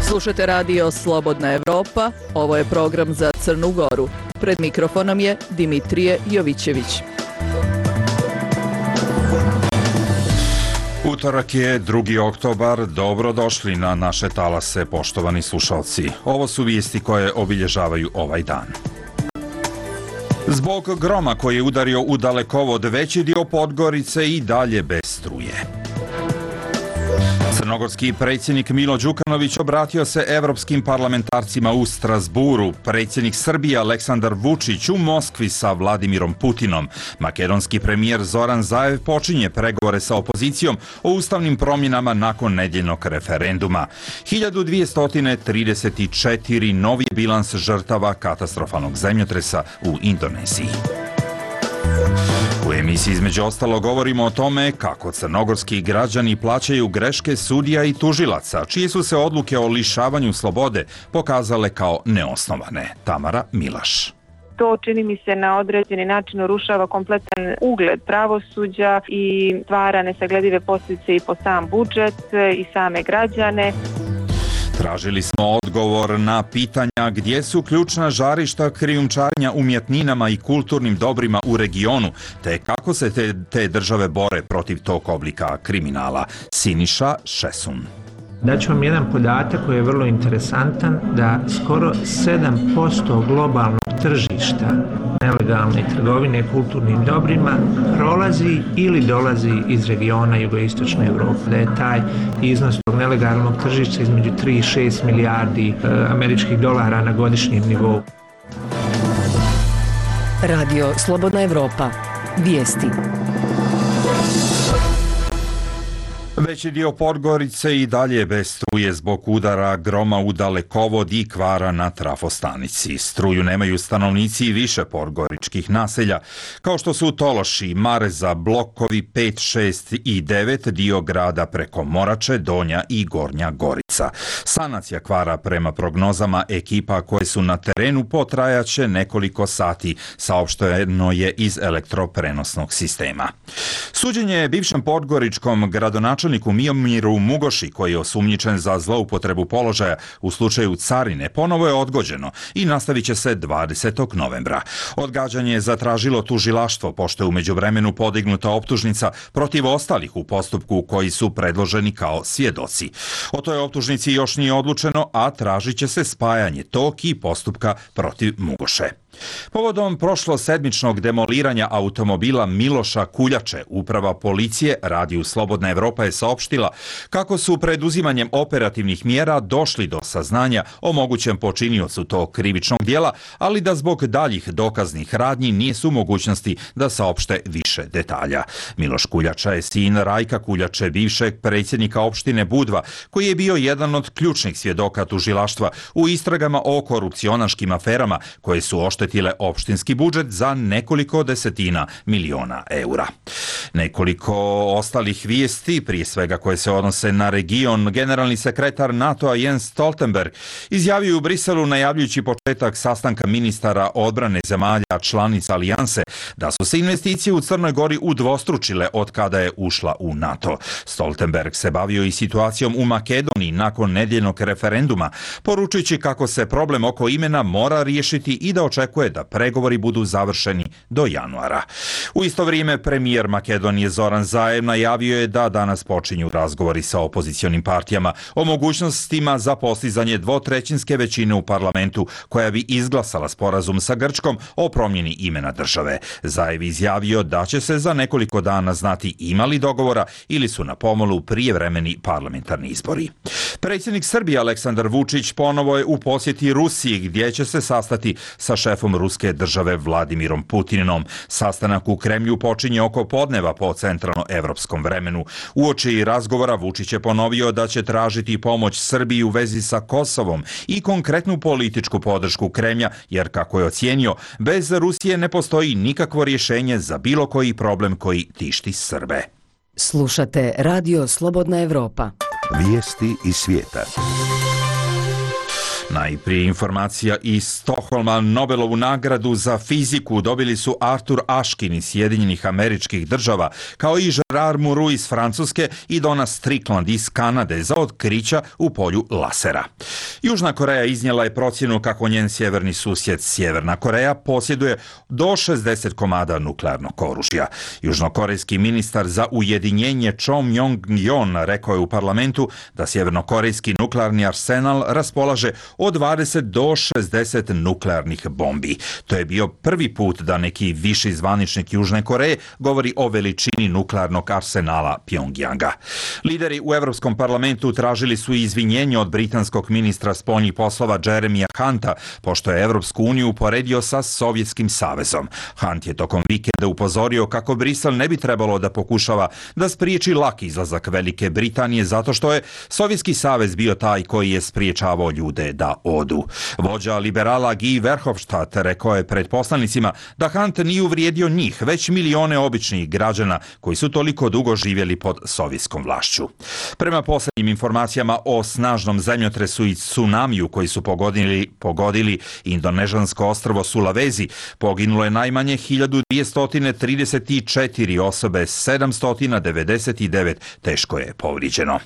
Slušate radio Slobodna Evropa, ovo je program za Crnu Goru. Pred mikrofonom je Dimitrije Jovićević. Utorak je 2. oktobar, dobrodošli na naše talase, poštovani slušalci. Ovo su vijesti koje obilježavaju ovaj dan. Zbog groma koji je udario u Dalekovod, veći dio Podgorice i dalje bez struje. Crnogorski predsjednik Milo Đukanović obratio se evropskim parlamentarcima u Strasburu. Predsjednik Srbije Aleksandar Vučić u Moskvi sa Vladimirom Putinom. Makedonski premijer Zoran Zaev počinje pregovore sa opozicijom o ustavnim promjenama nakon nedjeljnog referenduma. 1234 novi bilans žrtava katastrofalnog zemljotresa u Indoneziji. U emisiji između ostalo govorimo o tome kako crnogorski građani plaćaju greške sudija i tužilaca, čije su se odluke o lišavanju slobode pokazale kao neosnovane. Tamara Milaš. To, čini mi se, na određeni način urušava kompletan ugled pravosuđa i stvara nesagledive posljedice i po sam budžet i same građane. Tražili smo odgovor na pitanja gdje su ključna žarišta krijumčarenja umjetninama i kulturnim dobrima u regionu, te kako se te države bore protiv tog oblika kriminala. Siniša Šesun. Daću vam jedan podatak koji je vrlo interesantan, da skoro 7% globalnog tržišta nelegalne trgovine kulturnim dobrima prolazi ili dolazi iz regiona jugoistočne Europe. Da je taj iznos tog nelegalnog tržišta između 3 i 6 milijardi američkih dolara na godišnjem nivou. Radio Slobodna Evropa. Vijesti. Veći dio Podgorice i dalje bez struje zbog udara groma u Dalekovod i kvara na trafostanici. Struju nemaju stanovnici više podgoričkih naselja, kao što su Tološi, Mareza, blokovi 5, 6 i 9, dio grada preko Morače, Donja i Gornja Gorica. Sanacija kvara prema prognozama ekipa koje su na terenu potrajaće nekoliko sati, saopšteno je iz elektroprenosnog sistema. Suđenje je bivšem podgoričkom gradonačelniku Miomiru Mugoši, koji je osumnjičen za zloupotrebu položaja u slučaju carine, ponovo je odgođeno i nastavit će se 20. novembra. Odgađanje je zatražilo tužilaštvo, pošto je u međuvremenu podignuta optužnica protiv ostalih u postupku koji su predloženi kao svjedoci. O toj optužnici još nije odlučeno, a tražit će se spajanje tog i postupka protiv Mugoše. Povodom prošlosedmičnog demoliranja automobila Miloša Kuljače, uprava policije Radiju Slobodna Evropa je saopštila kako su preduzimanjem operativnih mjera došli do saznanja o mogućem počiniocu tog krivičnog djela, ali da zbog daljih dokaznih radnji nisu u mogućnosti da saopšte više detalja. Miloš Kuljača je sin Rajka Kuljače, bivšeg predsjednika opštine Budva, koji je bio jedan od ključnih svjedoka tužilaštva u istragama o korupcionaškim aferama koje su oštetile opštinski budžet za nekoliko desetina miliona eura. Nekoliko ostalih vijesti, prije svega koje se odnose na region, generalni sekretar NATO-a Jens Stoltenberg izjavio u Briselu, najavljujući početak sastanka ministara odbrane zemalja članica alijanse, da su se investicije u Crnoj Gori udvostručile od kada je ušla u NATO. Stoltenberg se bavio i situacijom u Makedoniji nakon nedjeljnog referenduma, poručujući kako se problem oko imena mora riješiti i da očekuje da pregovori budu završeni do januara. U isto vrijeme premijer Makedonije Zoran Zaev najavio je da danas počinju razgovori sa opozicionim partijama o mogućnostima za postizanje dvotrećinske većine u parlamentu koja bi izglasala sporazum sa Grčkom o promjeni imena države. Zaev izjavio da će se za nekoliko dana znati ima li dogovora ili su na pomolu prijevremeni parlamentarni izbori. Predsjednik Srbije Aleksandar Vučić ponovo je u posjeti Rusiji, gdje će se sastati sa šefom ruske države Vladimirom Putinom. Sastanak u Kremlju počinje oko podneva po centralnoevropskom vremenu. Uoči razgovora Vučić je ponovio da će tražiti pomoć Srbiji u vezi sa Kosovom i konkretnu političku podršku Kremlja, jer kako je ocijenio, bez Rusije ne postoji nikakvo rješenje za bilo koji problem koji tišti Srbe. Slušate Radio Slobodna Evropa. Vijesti iz svijeta. Najprije informacija iz Stokholma. Nobelovu nagradu za fiziku dobili su Arthur Ashkin iz Sjedinjenih Američkih Država, kao i Gerard Mourou iz Francuske i Donna Strickland iz Kanade za otkrića u polju lasera. Južna Koreja iznijela je procjenu kako njen sjeverni susjed Sjeverna Koreja posjeduje do 60 komada nuklearnog oružja. Južnokorejski ministar za ujedinjenje Cho Myong-yeon rekao je u parlamentu da sjevernokorejski nuklearni arsenal raspolaže od 20 do 60 nuklearnih bombi. To je bio prvi put da neki viši zvaničnik Južne Koreje govori o veličini nuklearnog arsenala Pjongjanga. Lideri u Europskom parlamentu tražili su izvinjenje od britanskog ministra spoljnih poslova Jeremya Hunta, pošto je Europsku uniju uporedio sa Sovjetskim savezom. Hunt je tokom vikenda upozorio kako Brisel ne bi trebalo da pokušava da spriječi lak izlazak Velike Britanije zato što je Sovjetski savez bio taj koji je spriječavao ljude da odu. Vođa liberala Guy Verhofstadt rekao je pred poslanicima da Hunt nije uvrijedio njih, već milione običnih građana koji su toliko dugo živjeli pod sovjetskom vlašću. Prema posljednjim informacijama o snažnom zemljotresu i tsunamiju koji su pogodili indonežansko ostrvo Sulawesi, poginulo je najmanje 1234 osobe, 799 teško je povrijeđeno.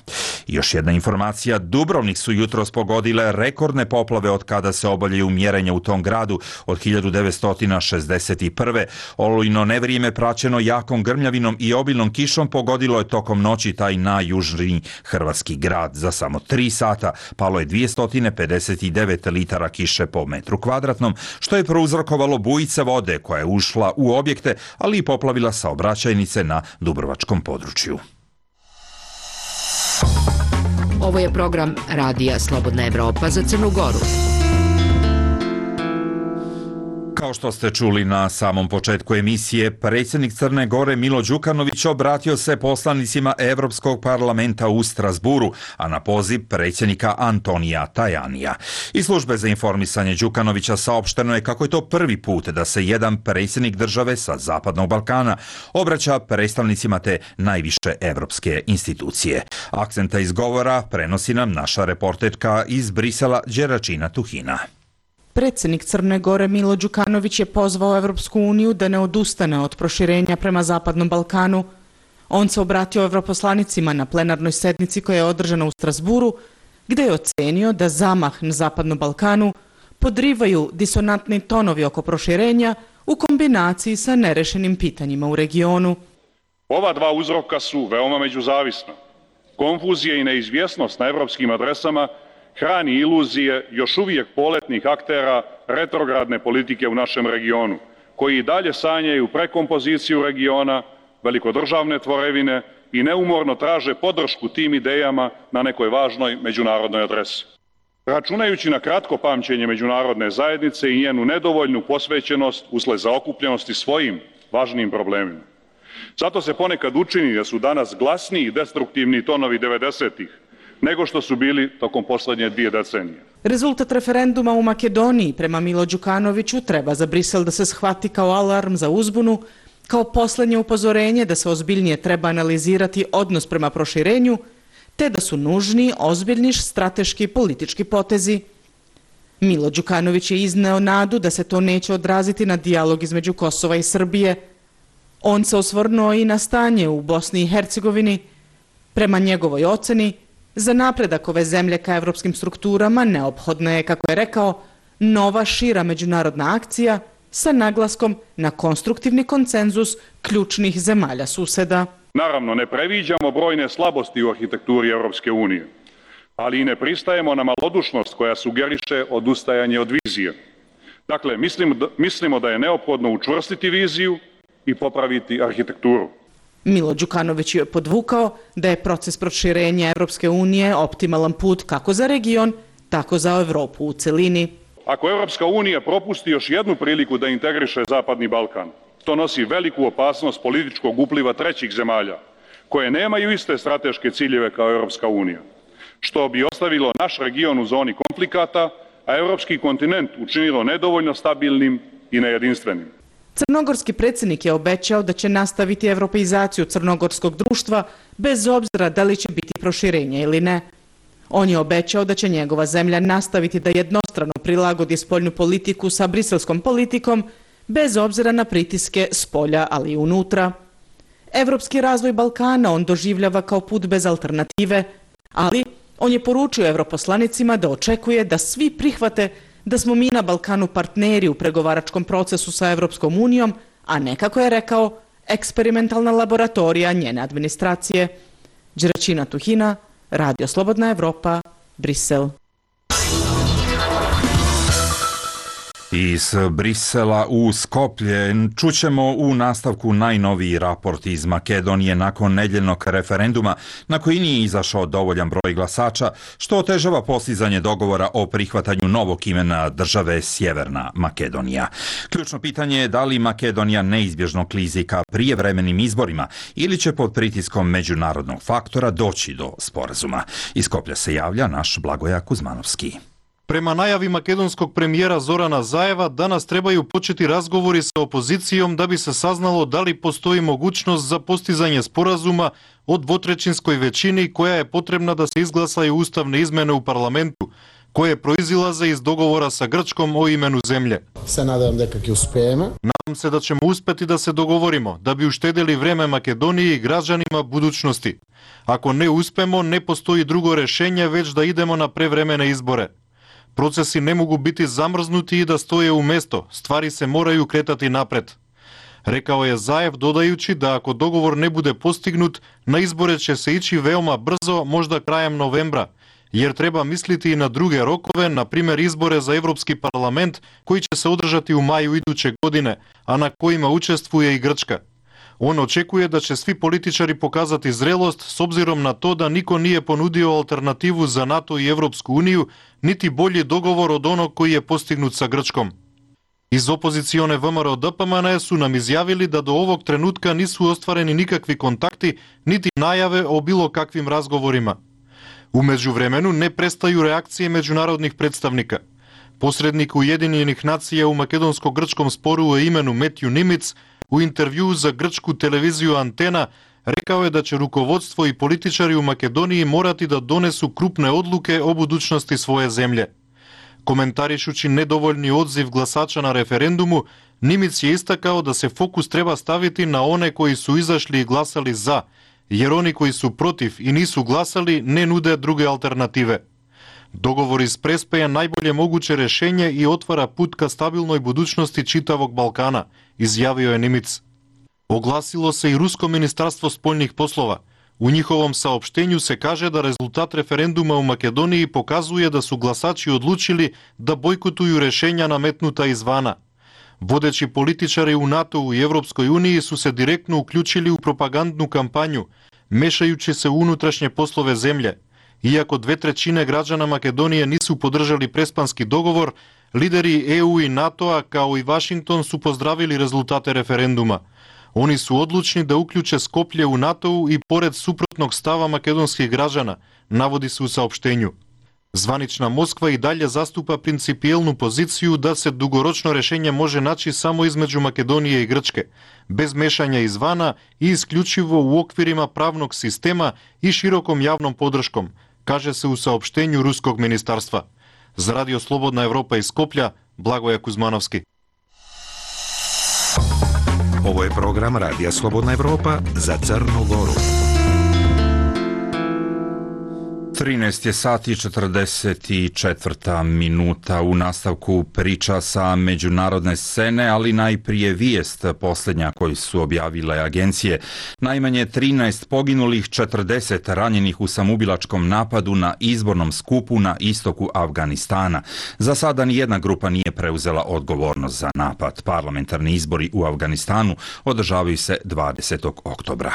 Još jedna informacija, Dubrovnik su jutros pogodile rekordne poplave od kada se obavljaju mjerenja u tom gradu od 1961. Olujno nevrijeme praćeno jakom grmljavinom i obilnom kišom pogodilo je tokom noći taj najjužniji hrvatski grad. Za samo 3 sata palo je 259 litara kiše po metru kvadratnom, što je prouzrokovalo bujice vode koja je ušla u objekte, ali i poplavila saobraćajnice na dubrovačkom području. Ovo je program Radija Slobodna Evropa za Crnu Goru. Kao što ste čuli na samom početku emisije, predsjednik Crne Gore Milo Đukanović obratio se poslanicima Evropskog parlamenta u Strasburu, a na poziv predsjednika Antonija Tajanija. Iz službe za informisanje Đukanovića saopšteno je kako je to prvi put da se jedan predsjednik države sa Zapadnog Balkana obraća predstavnicima te najviše evropske institucije. Akcenta izgovora prenosi nam naša reporterka iz Brisela Đeračina Tuhina. Predsjednik Crne Gore Milo Đukanović je pozvao Evropsku uniju da ne odustane od proširenja prema Zapadnom Balkanu. On se obratio evroposlanicima na plenarnoj sednici koja je održana u Strasburu, gdje je ocenio da zamah na Zapadnom Balkanu podrivaju disonantni tonovi oko proširenja u kombinaciji sa nerešenim pitanjima u regionu. Ova dva uzroka su veoma međuzavisna. Konfuzija i neizvjesnost na evropskim adresama hrani iluzije još uvijek poletnih aktera retrogradne politike u našem regionu, koji i dalje sanjaju prekompoziciju regiona, velikodržavne tvorevine i neumorno traže podršku tim idejama na nekoj važnoj međunarodnoj adresi. Računajući na kratko pamćenje međunarodne zajednice i njenu nedovoljnu posvećenost usled zaokupljenosti svojim važnim problemima. Zato se ponekad učini da su danas glasniji destruktivni tonovi 90-ih nego što su bili tokom posljednje 2 decenije. Rezultat referenduma u Makedoniji prema Milo Đukanoviću treba za Brisel da se shvati kao alarm za uzbunu, kao posljednje upozorenje da se ozbiljnije treba analizirati odnos prema proširenju, te da su nužni ozbiljni strateški politički potezi. Milo Đukanović je izneo nadu da se to neće odraziti na dijalog između Kosova i Srbije. On se osvrnuo i na stanje u Bosni i Hercegovini. Prema njegovoj oceni, za napredak ove zemlje ka evropskim strukturama neophodna je, kako je rekao, nova šira međunarodna akcija sa naglaskom na konstruktivni konsenzus ključnih zemalja suseda. Naravno, ne previđamo brojne slabosti u arhitekturi Europske unije, ali i ne pristajemo na malodušnost koja sugeriše odustajanje od vizije. Dakle, mislimo da je neophodno učvrstiti viziju i popraviti arhitekturu. Milo Đukanović je podvukao da je proces proširenja Evropske unije optimalan put kako za region, tako za Evropu u celini. Ako Evropska unija propusti još jednu priliku da integriše Zapadni Balkan, to nosi veliku opasnost političkog upliva trećih zemalja, koje nemaju iste strateške ciljeve kao Evropska unija, što bi ostavilo naš region u zoni konflikata, a evropski kontinent učinilo nedovoljno stabilnim i nejedinstvenim. Crnogorski predsjednik je obećao da će nastaviti evropeizaciju crnogorskog društva bez obzira da li će biti proširenja ili ne. On je obećao da će njegova zemlja nastaviti da jednostrano prilagodi spoljnu politiku sa briselskom politikom, bez obzira na pritiske s polja, ali i unutra. Evropski razvoj Balkana on doživljava kao put bez alternative, ali on je poručio europoslanicima da očekuje da svi prihvate da smo mi na Balkanu partneri u pregovaračkom procesu sa Evropskom unijom, a ne, kako je rekao, eksperimentalna laboratorija njene administracije. Đeračina Tuhina, Radio Slobodna Evropa, Brisel. Iz Brisela u Skoplje čućemo u nastavku najnoviji raport iz Makedonije nakon nedjeljnog referenduma na koji nije izašao dovoljan broj glasača, što otežava postizanje dogovora o prihvatanju novog imena države Sjeverna Makedonija. Ključno pitanje je da li Makedonija neizbježno klizi ka prijevremenim izborima ili će pod pritiskom međunarodnog faktora doći do sporazuma. Iz Skoplja se javlja naš Blagoja Kuzmanovski. Prema najavi makedonskog premijera Zorana Zajeva, danas trebaju početi razgovori sa opozicijom da bi se saznalo da li postoji mogućnost za postizanje sporazuma o dvotrećinskoj većini koja je potrebna da se izglasaju ustavne izmene u parlamentu, koje proizilaze iz dogovora sa Grčkom o imenu zemlje. Nadam se da ćemo uspjeti da se dogovorimo, da bi uštedili vreme Makedoniji i građanima budućnosti. Ako ne uspemo, ne postoji drugo rješenje, već da idemo na prevremene izbore. Procesi ne mogu biti zamrznuti i da stoje u mjesto, stvari se moraju kretati napred. Rekao je Zajev, dodajući da ako dogovor ne bude postignut, na izbore će se ići veoma brzo, možda krajem novembra, jer treba misliti i na druge rokove, na primjer izbore za Europski parlament koji će se održati u maju iduće godine, a na kojima učestvuje i Grčka. On očekuje da će svi političari pokazati zrelost s obzirom na to da niko nije ponudio alternativu za NATO i Europsku uniju, niti bolji dogovor od onog koji je postignut sa Grčkom. Iz opozicione VMRO DPMNE su nam izjavili da do ovog trenutka nisu ostvareni nikakvi kontakti, niti najave o bilo kakvim razgovorima. U međuvremenu ne prestaju reakcije međunarodnih predstavnika. Posrednik Ujedinjenih nacija u makedonsko-grčkom sporu o imenu Matthew Nimitz u intervjuu za grčku televiziju Antena rekao je da će rukovodstvo i političari u Makedoniji morati da donesu krupne odluke o budućnosti svoje zemlje. Komentarišući nedovoljni odziv glasača na referendumu, Nimitz je istakao da se fokus treba staviti na one koji su izašli i glasali za, jer oni koji su protiv i nisu glasali ne nude druge alternative. Dogovor iz Prespe je najbolje moguće rješenje i otvara put ka stabilnoj budućnosti čitavog Balkana, izjavio je Nimitz. Oglasilo se i Rusko ministarstvo spoljnih poslova. U njihovom saopštenju se kaže da rezultat referenduma u Makedoniji pokazuje da su glasači odlučili da bojkotuju rješenja nametnuta izvana. Vodeći političari u NATO-u i Europskoj uniji su se direktno uključili u propagandnu kampanju, mešajući se u unutrašnje poslove zemlje. Iako 2/3 građana Makedonije nisu podržali prespanski dogovor, lideri EU i NATO-a kao i Washington su pozdravili rezultate referenduma. Oni su odlučni da uključe Skoplje u NATO-u i pored suprotnog stava makedonskih građana, navodi se u saopštenju. Zvanična Moskva i dalje zastupa principijelnu poziciju da se dugoročno rješenje može naći samo između Makedonije i Grčke, bez mešanja izvana i isključivo u okvirima pravnog sistema i širokom javnom podrškom, kaže se u saopštenju Ruskog ministarstva. Za Radio Slobodna Evropa iz Skoplja, Blagoja Kuzmanovski. Ovo je program Radija Slobodna Evropa za Crnu Goru. 13 je sati 44 minuta u nastavku priča sa međunarodne scene, ali najprije vijest posljednja koju su objavile agencije. Najmanje 13 poginulih, 40 ranjenih u samoubilačkom napadu na izbornom skupu na istoku Afganistana. Za sada nijedna grupa nije preuzela odgovornost za napad. Parlamentarni izbori u Afganistanu održavaju se 20. oktobra.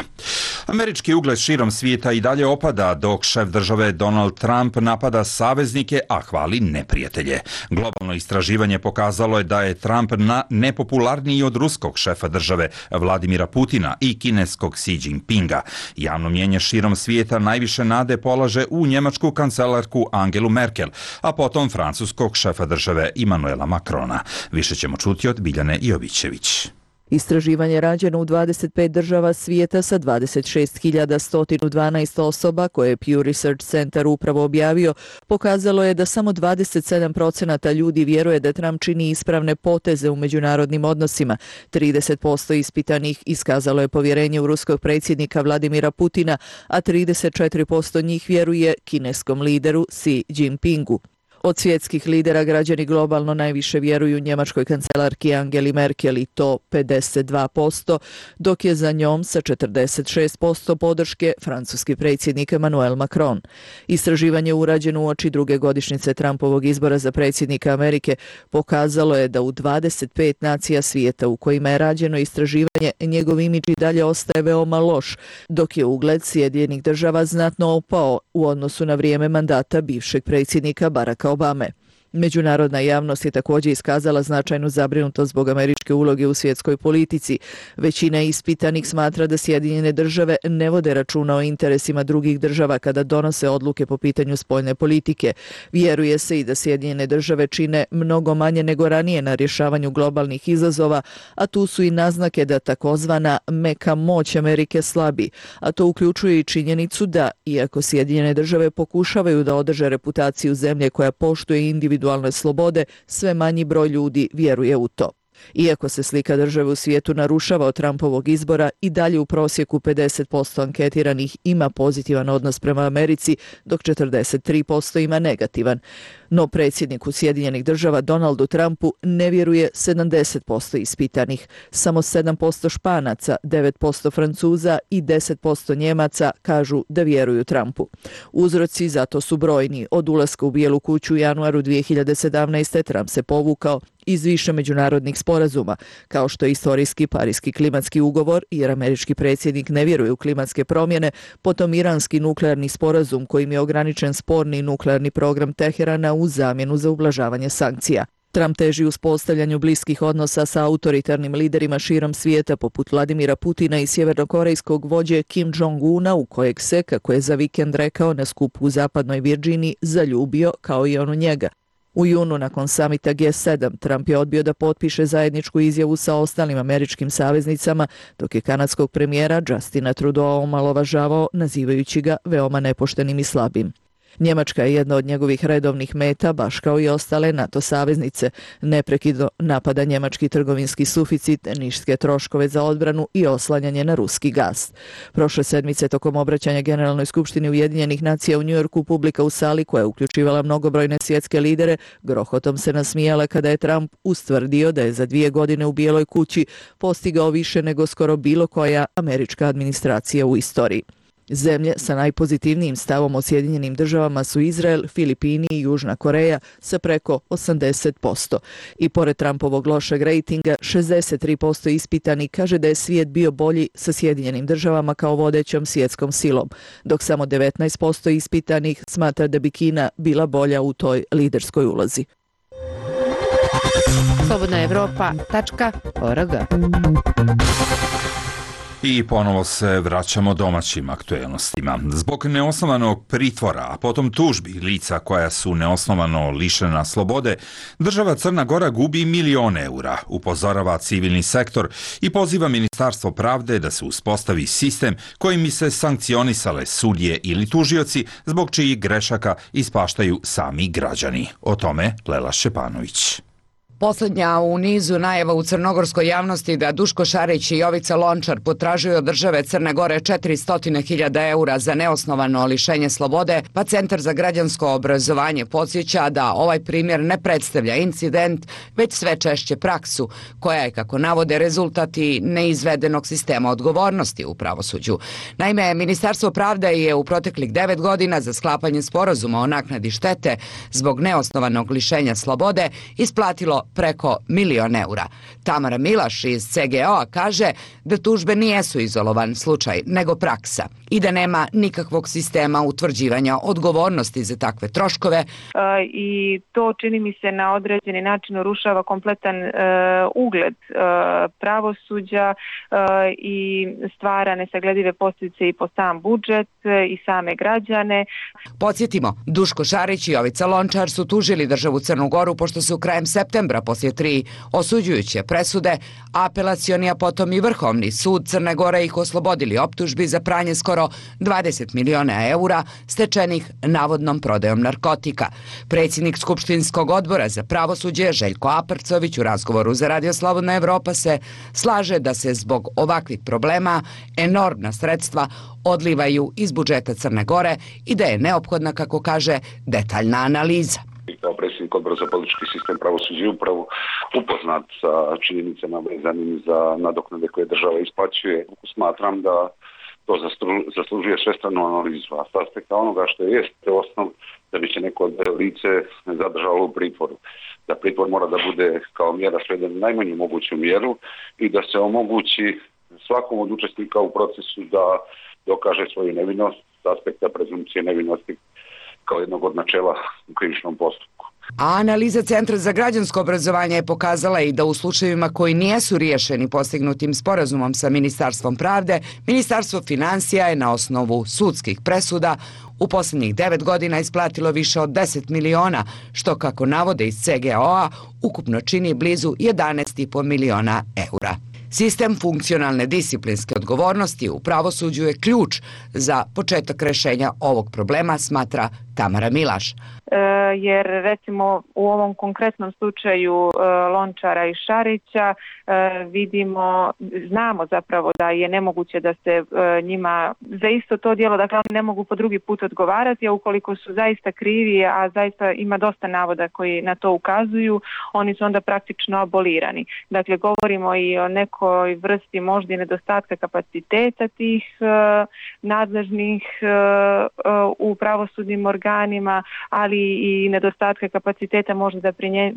Američki ugled širom svijeta i dalje opada dok šef države Donald Trump napada saveznike, a hvali neprijatelje. Globalno istraživanje pokazalo je da je Trump nepopularniji od ruskog šefa države Vladimira Putina i kineskog Xi Jinpinga. Javno mnijenje širom svijeta najviše nade polaže u njemačku kancelarku Angelu Merkel, a potom francuskog šefa države Emmanuela Macrona. Više ćemo čuti od Biljane Jovićević. Istraživanje rađeno u 25 država svijeta sa 26.112 osoba koje je Pew Research Center upravo objavio pokazalo je da samo 27% ljudi vjeruje da Trump čini ispravne poteze u međunarodnim odnosima. 30% ispitanih iskazalo je povjerenje u ruskog predsjednika Vladimira Putina, a 34% njih vjeruje kineskom lideru Xi Jinpingu. Od svjetskih lidera građani globalno najviše vjeruju njemačkoj kancelarki Angeli Merkel i to 52%, dok je za njom sa 46% podrške francuski predsjednik Emmanuel Macron. Istraživanje urađeno uoči druge godišnjice Trumpovog izbora za predsjednika Amerike pokazalo je da u 25 nacija svijeta u kojima je rađeno istraživanje njegov imidž i dalje ostaje veoma loš, dok je ugled Sjedinjenih Država znatno opao u odnosu na vrijeme mandata bivšeg predsjednika Baracka Obame. Međunarodna javnost je također iskazala značajnu zabrinutost zbog američke uloge u svjetskoj politici. Većina ispitanih smatra da Sjedinjene Države ne vode računa o interesima drugih država kada donose odluke po pitanju spoljne politike. Vjeruje se i da Sjedinjene Države čine mnogo manje nego ranije na rješavanju globalnih izazova, a tu su i naznake da takozvana meka moć Amerike slabi, a to uključuje i činjenicu da, iako Sjedinjene Države pokušavaju da održe reputaciju zemlje koja poštuje individualne slobode, sve manji broj ljudi vjeruje u to. Iako se slika države u svijetu narušava od Trumpovog izbora, i dalje u prosjeku 50% anketiranih ima pozitivan odnos prema Americi, dok 43% ima negativan. No predsjedniku Sjedinjenih Država Donaldu Trumpu ne vjeruje 70% ispitanih. Samo 7% Španaca, 9% Francuza i 10% Njemaca kažu da vjeruju Trumpu. Uzroci za to su brojni. Od ulaska u Bijelu kuću u januaru 2017. Trump se povukao iz više međunarodnih sporazuma, kao što je istorijski Pariški klimatski ugovor, jer američki predsjednik ne vjeruje u klimatske promjene, potom iranski nuklearni sporazum kojim je ograničen sporni nuklearni program Teherana u zamjenu za ublažavanje sankcija. Trump teži uspostavljanju bliskih odnosa sa autoritarnim liderima širom svijeta poput Vladimira Putina i sjevernokorejskog vođe Kim Jong-una, u kojeg se, kako je za vikend rekao na skupu u zapadnoj Virdžiniji, zaljubio kao i on u njega. U junu, nakon samita G7, Trump je odbio da potpiše zajedničku izjavu sa ostalim američkim saveznicama, dok je kanadskog premijera Justina Trudeau omalovažavao, nazivajući ga veoma nepoštenim i slabim. Njemačka je jedna od njegovih redovnih meta, baš kao i ostale NATO saveznice. Neprekidno napada njemački trgovinski suficit, niske troškove za odbranu i oslanjanje na ruski gas. Prošle sedmice, tokom obraćanja Generalnoj skupštini Ujedinjenih nacija u Njujorku, publika u sali, koja je uključivala mnogobrojne svjetske lidere, grohotom se nasmijala kada je Trump ustvrdio da je za 2 godine u Bijeloj kući postigao više nego skoro bilo koja američka administracija u istoriji. Zemlje sa najpozitivnijim stavom o Sjedinjenim Državama su Izrael, Filipini i Južna Koreja sa preko 80%. I pored Trumpovog lošeg rejtinga, 63% ispitani kaže da je svijet bio bolji sa Sjedinjenim Državama kao vodećom svjetskom silom, dok samo 19% ispitanih smatra da bi Kina bila bolja u toj liderskoj ulozi. slobodnaevropa.org. I ponovo se vraćamo domaćim aktuelnostima. Zbog neosnovanog pritvora, a potom tužbi lica koja su neosnovano lišena slobode, država Crna Gora gubi milione eura, upozorava civilni sektor i poziva Ministarstvo pravde da se uspostavi sistem kojim bi se sankcionisale sudije ili tužioci zbog čijih grešaka ispaštaju sami građani. O tome Lela Šćepanović. Posljednja u nizu najava u crnogorskoj javnosti da Duško Šarić i Jovica Lončar potražuju od države Crne Gore 400.000 eura za neosnovano lišenje slobode, pa Centar za građansko obrazovanje podsjeća da ovaj primjer ne predstavlja incident, već sve češće praksu, koja je, kako navode, rezultat i neizvedenog sistema odgovornosti u pravosuđu. Naime, Ministarstvo pravde je u proteklih 9 godina za sklapanje sporazuma o naknadi štete zbog neosnovanog lišenja slobode isplatilo preko 1.000.000 eura. Tamara Milaš iz CGO-a kaže da tužbe nijesu izolovan slučaj, nego praksa i da nema nikakvog sistema utvrđivanja odgovornosti za takve troškove. I to, čini mi se, na određeni način urušava kompletan ugled pravosuđa i stvara nesagledive posljedice i po sam budžet i same građane. Podsjetimo, Duško Šarić i Jovica Lončar su tužili državu Crnu Goru pošto su krajem septembra sutra poslije 3 osuđujuće presude, apelacioni, a potom i Vrhovni sud Crne Gore ih oslobodili optužbi za pranje skoro 20 miliona eura stečenih navodnom prodajom narkotika. Predsjednik Skupštinskog odbora za pravosuđe Željko Aprcović u razgovoru za Radio Slobodna Evropa se slaže da se zbog ovakvih problema enormna sredstva odlivaju iz budžeta Crne Gore i da je neophodna, kako kaže, detaljna analiza. Kao predsjednik odbora za politički sistem, pravosuđe i upravu upoznat sa činjenicama vezanim za nadoknade koje država isplaćuje. Smatram da to zaslužuje svestranu analizu, a s aspekta onoga što je osnov da bi se neko lice zadržalo u pritvoru. Da pritvor mora da bude kao mjera sveden na najmanju moguću mjeru i da se omogući svakom od učesnika u procesu da dokaže svoju nevinost s aspekta prezumpcije nevinosti kao jednog od načela u krivičnom postupku. A analiza Centra za građansko obrazovanje je pokazala i da u slučajevima koji nijesu riješeni postignutim sporazumom sa Ministarstvom pravde, Ministarstvo financija je na osnovu sudskih presuda u posljednjih 9 godina isplatilo više od 10 miliona, što, kako navode iz CGO-a, ukupno čini blizu 11,5 miliona eura. Sistem funkcionalne disciplinske odgovornosti u pravosuđu je ključ za početak rješenja ovog problema, smatra Tamara Milaš. Jer recimo u ovom konkretnom slučaju Lončara i Šarića znamo zapravo da je nemoguće da se njima za isto to djelo, dakle oni ne mogu po drugi put odgovarati, a ukoliko su zaista krivi, a zaista ima dosta navoda koji na to ukazuju, oni su onda praktično abolirani. Dakle, govorimo i o nekoj vrsti možda i nedostatka kapaciteta tih nadležnih u pravosudnim organima, ali i nedostatka kapaciteta možda da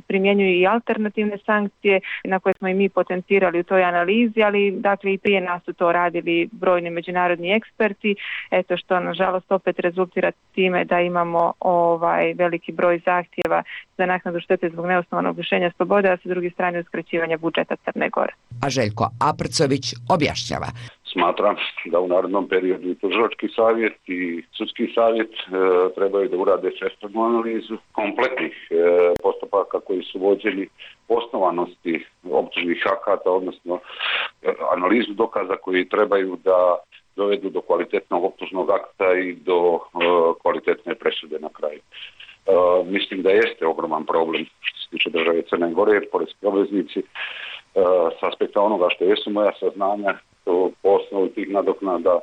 primjenjuju i alternativne sankcije na koje smo i mi potencirali u toj analizi, ali dakle i prije nas su to radili brojni međunarodni eksperti, eto što nažalost opet rezultira time da imamo veliki broj zahtjeva za naknadu štete zbog neosnovanog lišenja slobode, a sa druge strane uskraćivanja budžeta Crne Gore. A Željko Aprcović objašnjava. Smatram da u narednom periodu i tužilački savjet i sudski savjet trebaju da urade svestranu analizu kompletnih postupaka koji su vođeni, osnovanosti optužnih akata, odnosno analizu dokaza koji trebaju da dovedu do kvalitetnog optužnog akta i do kvalitetne presude na kraju. Mislim da jeste ogroman problem što se tiče države Crne Gore, jer poreski obveznici s aspekta onoga što jesu moja saznanja, po osnovu tih nadoknada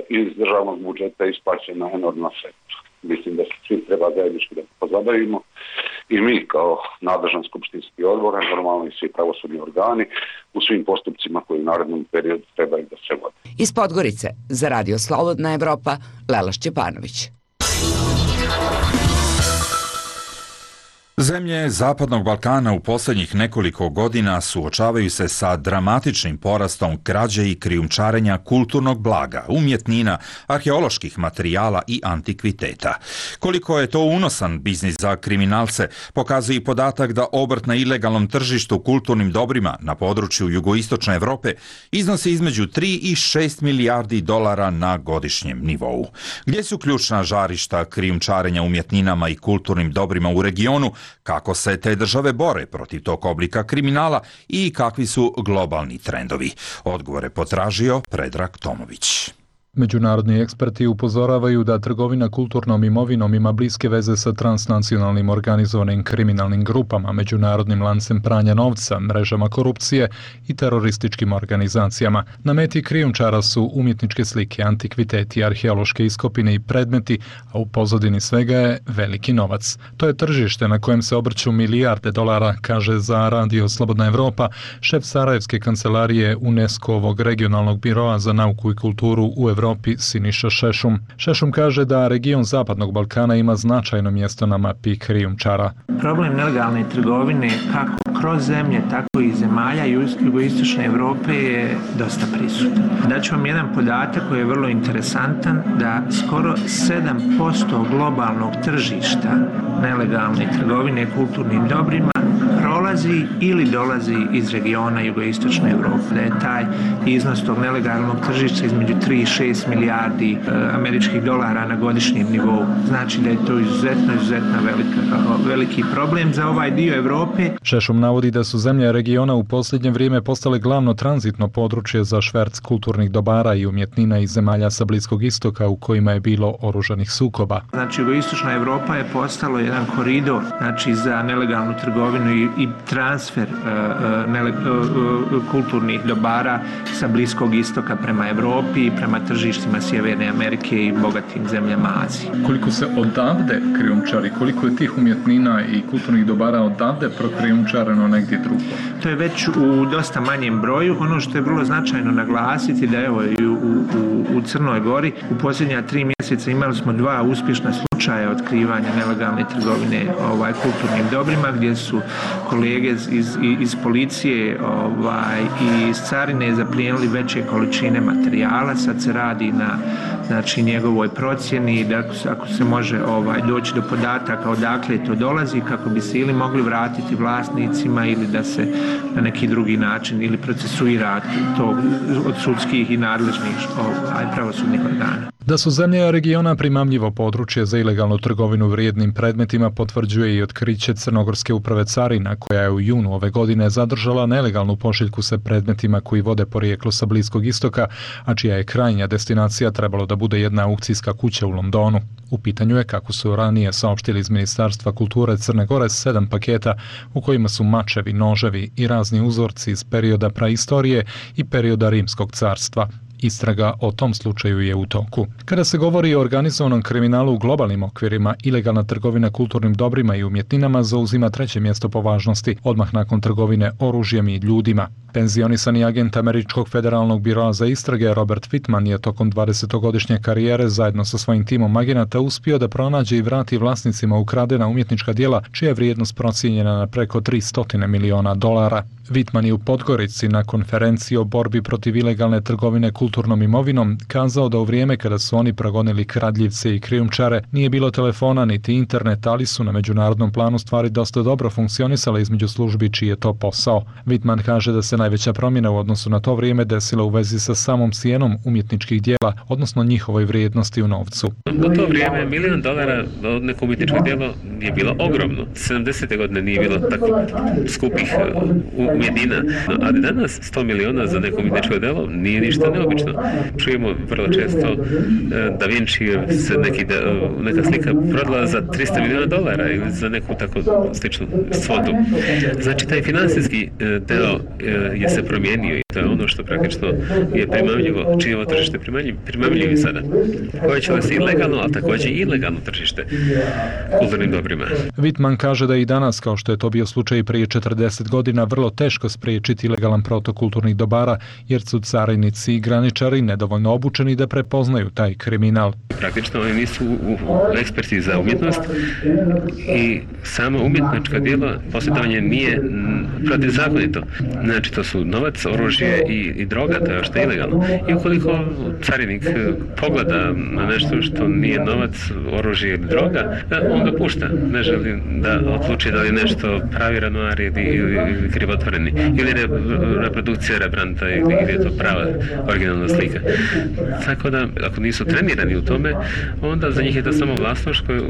iz državnog budžeta isplaćena enormna sredstva. Mislim da se svi treba zajednički da pozabavimo i mi kao nadležan skupštinski odbor, normalno i svi pravosudni organi u svim postupcima koji u narednom periodu trebaju da se vode. Iz Podgorice za Radio Slobodna Evropa, Lela Šćepanović. Zemlje Zapadnog Balkana u posljednjih nekoliko godina suočavaju se sa dramatičnim porastom krađe i krijumčarenja kulturnog blaga, umjetnina, arheoloških materijala i antikviteta. Koliko je to unosan biznis za kriminalce, pokazuje i podatak da obrt na ilegalnom tržištu kulturnim dobrima na području jugoistočne Evrope iznosi između 3 i 6 milijardi dolara na godišnjem nivou. Gdje su ključna žarišta krijumčarenja umjetninama i kulturnim dobrima u regionu, kako se te države bore protiv tog oblika kriminala i kakvi su globalni trendovi? Odgovore potražio Predrag Tomović. Međunarodni eksperti upozoravaju da trgovina kulturnom imovinom ima bliske veze sa transnacionalnim organizovanim kriminalnim grupama, međunarodnim lancem pranja novca, mrežama korupcije i terorističkim organizacijama. Na meti krijumčara su umjetničke slike, antikviteti, arheološke iskopine i predmeti, a u pozadini svega je veliki novac. To je tržište na kojem se obrću milijarde dolara, kaže za Radio Slobodna Evropa šef Sarajevske kancelarije UNESCO-ovog regionalnog biroa za nauku i kulturu u Evropi Siniša Šešum. Šešum kaže da region Zapadnog Balkana ima značajno mjesto na mapi krijumčara. Problem nelegalne trgovine kako kroz zemlje, tako i zemalja jugoistočne Evrope je dosta prisutan. Daću vam jedan podatak koji je vrlo interesantan, da skoro 7% globalnog tržišta nelegalne trgovine kulturnim dobrima prolazi ili dolazi iz regiona jugoistočne Evrope. Da je taj iznos tog nelegalnog tržišta između 3 i 6 američkih dolara na godišnjem nivou. Znači da je to izuzetno veliki problem za ovaj dio Europe. Šešum navodi da su zemlje regiona u posljednje vrijeme postale glavno tranzitno područje za šverc kulturnih dobara i umjetnina iz zemalja sa Bliskog istoka u kojima je bilo oružanih sukoba. Znači, jugoistočna Europa je postalo jedan koridor, znači, za nelegalnu trgovinu i transfer kulturnih dobara sa Bliskog istoka prema Europi i prema tržištima Sjeverne Amerike i bogatim zemljama Azije. Koliko se odavde krijumčari, koliko je tih umjetnina i kulturnih dobara odavde prokrijumčareno negdje drugo? To je već u dosta manjem broju. Ono što je vrlo značajno naglasiti da evo i u Crnoj Gori u posljednja 3 mjeseca imali smo 2 uspješna slučaja otkrivanja nelegalne trgovine kulturnim dobrima, gdje su kolege iz policije i iz carine zaplijenili veće količine materijala. Sad se radi na njegovoj procjeni da ako se može doći do podataka odakle to dolazi, kako bi se ili mogli vratiti vlasnicima ili da se na neki drugi način ili procesuira to od sudskih i nadležnih pravosudnih organa. Da su zemlje regiona primamljivo područje za ilegalnu trgovinu vrijednim predmetima potvrđuje i otkriće Crnogorske uprave carina, koja je u junu ove godine zadržala nelegalnu pošiljku sa predmetima koji vode porijeklo sa Bliskog istoka, a čija je krajnja destinacija trebalo da bude jedna aukcijska kuća u Londonu. U pitanju je, kako su ranije saopštili iz Ministarstva kulture Crne Gore, 7 paketa u kojima su mačevi, noževi i razni uzorci iz perioda praistorije i perioda Rimskog carstva. Istraga o tom slučaju je u toku. Kada se govori o organizovanom kriminalu u globalnim okvirima, ilegalna trgovina kulturnim dobrima i umjetninama zauzima 3. mjesto po važnosti, odmah nakon trgovine oružjem i ljudima. Penzionisani agent Američkog federalnog biroa za istrage Robert Whitman je tokom 20-godišnje karijere zajedno sa svojim timom agenata uspio da pronađe i vrati vlasnicima ukradena umjetnička djela, čija je vrijednost procijenjena na preko $300 miliona. Whitman je u Podgorici na konferenciji o borbi protiv ilegalne trgovine kulturnom imovinom kazao da u vrijeme kada su oni progonili kradljivce i krijumčare nije bilo telefona niti internet, ali su na međunarodnom planu stvari dosta dobro funkcionisale između službi čiji je to posao. Whitman kaže da se najveća promjena u odnosu na to vrijeme desila u vezi sa samom cijenom umjetničkih djela, odnosno njihovoj vrijednosti u novcu. U to vrijeme $1 milion od neko umjetničko djelo je bilo ogromno. 70. godine nije bilo tako skupih umjetnina, a danas 100 miliona za neko umjetničko djelo nije ništa neobično. Čujemo vrlo često Da Vinci se neka slika prodala za $300 miliona ili za neku tako sličnu svotu. Znači, taj financijski deo je se promijenio i to je ono što praktično je primamljivo, čije ovo tržište primamljivi sada. Povećalo se i legalno, ali također i ilegalno tržište kulturnim dobrima. Whitman kaže da i danas, kao što je to bio slučaj prije 40 godina, vrlo teško spriječiti ilegalan protok kulturnih dobara, jer su carinici i graničari nedovoljno obučeni da prepoznaju taj kriminal. Praktično oni nisu eksperti za umjetnost i samo umjetnička djela posjedovanje nije protivzakonito. Znači, to su novac, oružje i droga, to je što je ilegalno. I ukoliko carinik pogleda na nešto što nije novac, oružje ili droga, on ga pušta. Ne želi da odluči da li je nešto pravi Renoir ili krivotvoreni, ili je reprodukcija Rembrandta ili je to prava originalna slika. Tako da, ako nisu trenirani u tome, onda za njih je to samo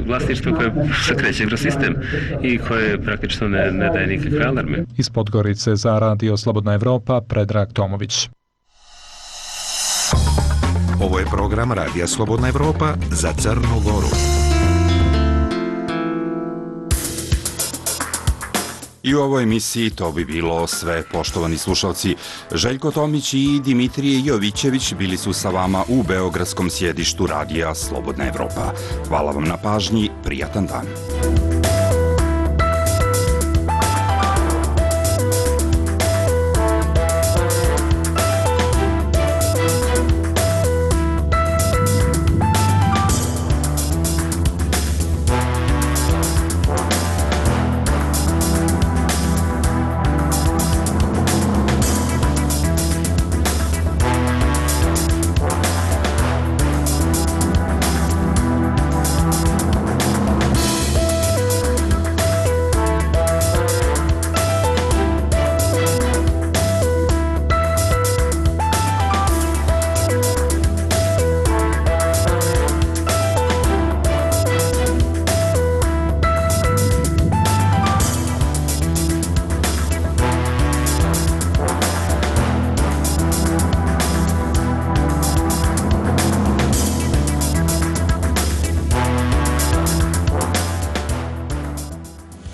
vlasništvo koje se kreće kroz sistem i koje praktično ne daje nikakve alarme. Iz Podgorice za Radio Slobodna Evropa, Predrag Tomović. Ovo je program Radija Slobodna Evropa za Crnu Goru. I u ovoj emisiji to bi bilo sve, poštovani slušalci. Željko Tomić i Dimitrije Jovićević bili su sa vama u beogradskom sjedištu Radija Slobodna Evropa. Hvala vam na pažnji, prijatan dan.